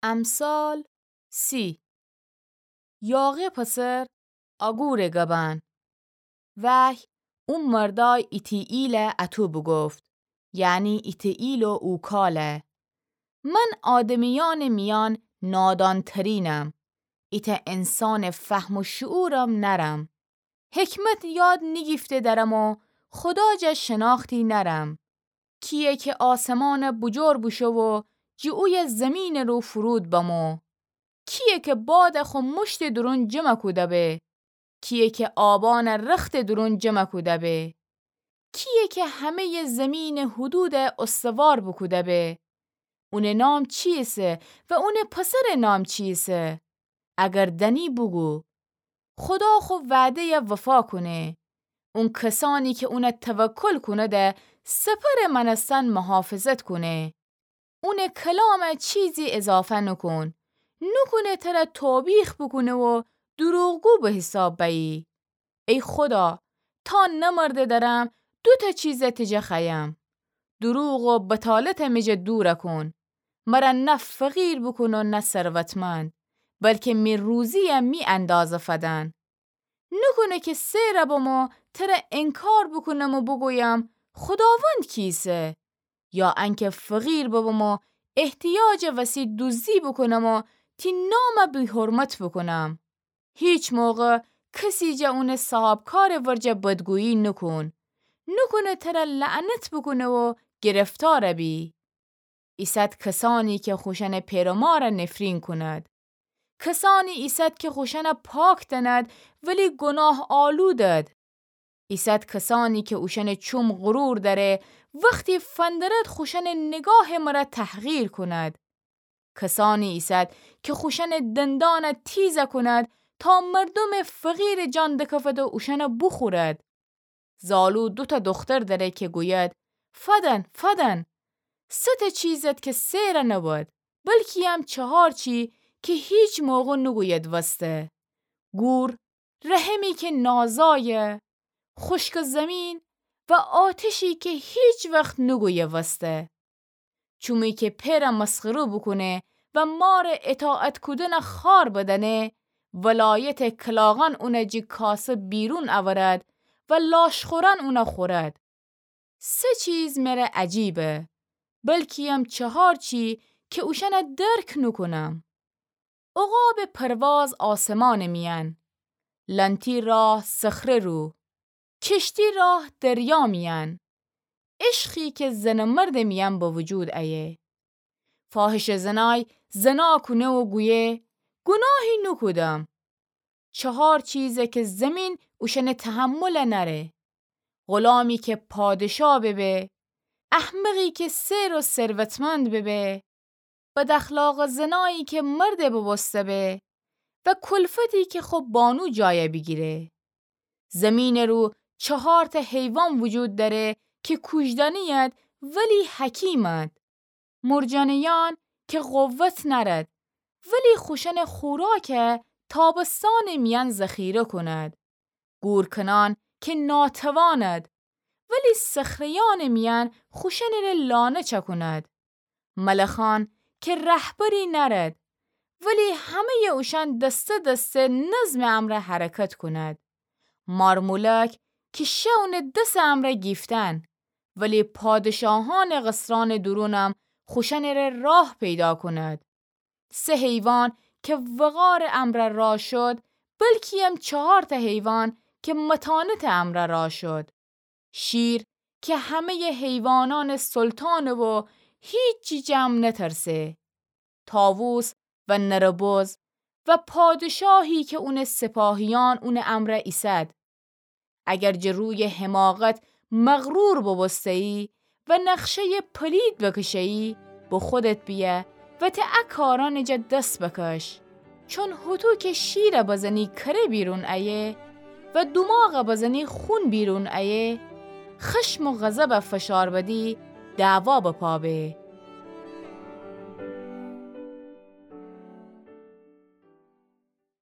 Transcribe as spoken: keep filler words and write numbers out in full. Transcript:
امثال سی. یاغه پسر آگوره گبأن. وحی او مردأی ایتیئیل اطو بوگفت، یعنی ایتیئیل و اوکاله. من آدمیأنٚ میأن نادانترینم، ایتأ انسانٚ فهم و شعورم نأرم. حکمت یاد نیگیفته درم و خودا جا شناختی نأرم. کییه که آسمأن بوجور بوشو و جٚه اویه زیمینٚ رو فورود بمو؟ کییه که باد خو مشتٚ دورون جمع کوده به؟ کییه که آبأن رختٚ دورون جمع کوده به؟ کییه که همه‌یٚ زیمینٚ حدود استوار بوکوده به؟ اونٚ نام چییسه و اونٚ پسرٚ نام چییسه؟ اگر دأنی بوگو. خودا خو وعده‌یه وفا کونه. اون کسأنی که اونه توکل کونده سپرٚ مأنستن محافظت کونه. اونٚ کلامه چیزی اضافه نوکون. نوکونه تره توبیخ بوکونه و دوروغگو به حساب بأیی. ای خودا، تا نمرده درم دوتأ چیزه تجه خوأیم. دوروغ و بطالته می جه دور کون. مره نه فقیر بوکون و نه ثروتمند، بلکه می روزییه می اندازه فدن. نوکونه که سئر بم و تره انکار بوکونم و بوگویم خوداوند کیسه؟ یا انکه فقیر ببم و احتیاجٚ وسی دوزدی بوکونم و تی نامه بی‌حرمت بوکونم. هیچ موقع کسی جه اونٚ صاحبکارٚ ورجه بدگویی نوکون. نوکونه تره لعنت بوکونه و گرفتار بی. ایسد کسأنی که خوشأنٚ پئر و ماره نفرین کونید. کسأنی ایسد که خوشأنه پاک دأنید ولی گناه‌آلودید. ایسد کسأنی که اوشأنٚ چوم غرور دأره، وختی فندرد خوشأنٚ نگاهٚ مره تحقیر کونید. کسأنی ایسد که خوشأنٚ دندانه تیزه کونید تا مردومٚ فقیرٚ جان دکفد و اوشأنه بوخورد. زالو دوتأ دوختر دأره که گوید فدن، فدن. سه ته چیزد که سئر نبد، بلکییم چهار چی که هیچ موقع نوگوید وسته. گور، رحمی که نازایه، خوشکٚ زیمین و آتشی که هیچ وخت نوگویه وسته. چومی که پئره مسخره بوکونه و ماره اطاعت کودنه خوار بدأنه، ولایتٚ کلاغأن اونه جٚه کاسه بیرون اورد و لاشخورأن اونه خورد. سه چیز مره عجیبه، بلکییم چهار چی که اوشأنه درک نوکونم. عقابٚ پرواز آسمانٚ میأن، لنتی راه صخره رو، کشتی راه دریا میأن، عشقی که زن و مردٚ میأن به وجود ایه. فاحشه‌زنای زنا کونه و گویه گناهی نوکودم. چهار چیزه که زیمین اوشأنٚ تحمل نأره. غلامی که پادشا ببه، احمقی که سئر و ثروتمند ببه، بداخلاقٚ زنایی که مرده ببوسته به و کلفتی که خو بانو جایه بیگیره. زیمینٚ رو چهار ته حیوان وجود دأره که کوجدأنیید ولی حکیمید. مرجانه‌یأن که قوت نأرد، ولی خوشأنٚ خوراکه تابستانٚ میأن ذخیره کونید. گورکنأن که ناتواند، ولی صخره‌یأنٚ میأن خوشأنٚره لانه چأکونید. ملخأن که رهبری نأرد، ولی همه‌یٚ اوشأن دسته دسته نظمٚ امرأ حرکت کونید. مارمولک که شه اونٚ دسٚ امرأ گیفتن، ولی پادشاهأنٚ قصرأنٚ دورونم خوشأنٚره راه پیدا کونید. سه حیوان که وقارٚ امرأ راه شد، بلکییم چهار ته حیوان که متانتٚ امرأ راه شد. شیر که همه‌یٚ حیوانأنٚ سلطانه و هیچی جٚه ام نترسه. طاووس و نربز و پادشاهی که اونٚ سپاهیأن اونٚ امرأ ایسد. اگر جٚه رویٚ حماقت مغرور ببوسته‌یی و نقشه‌یٚ پلید بکشه‌یی، به خودت بیأ و ته ا کارأنٚ جا دس بکش. چون هوطو که شیره بزنی کره بیرون ایه و دوماغه بزنی خون بیرون ایه، خشم و غضبه فشار بدی دعوا به پا به.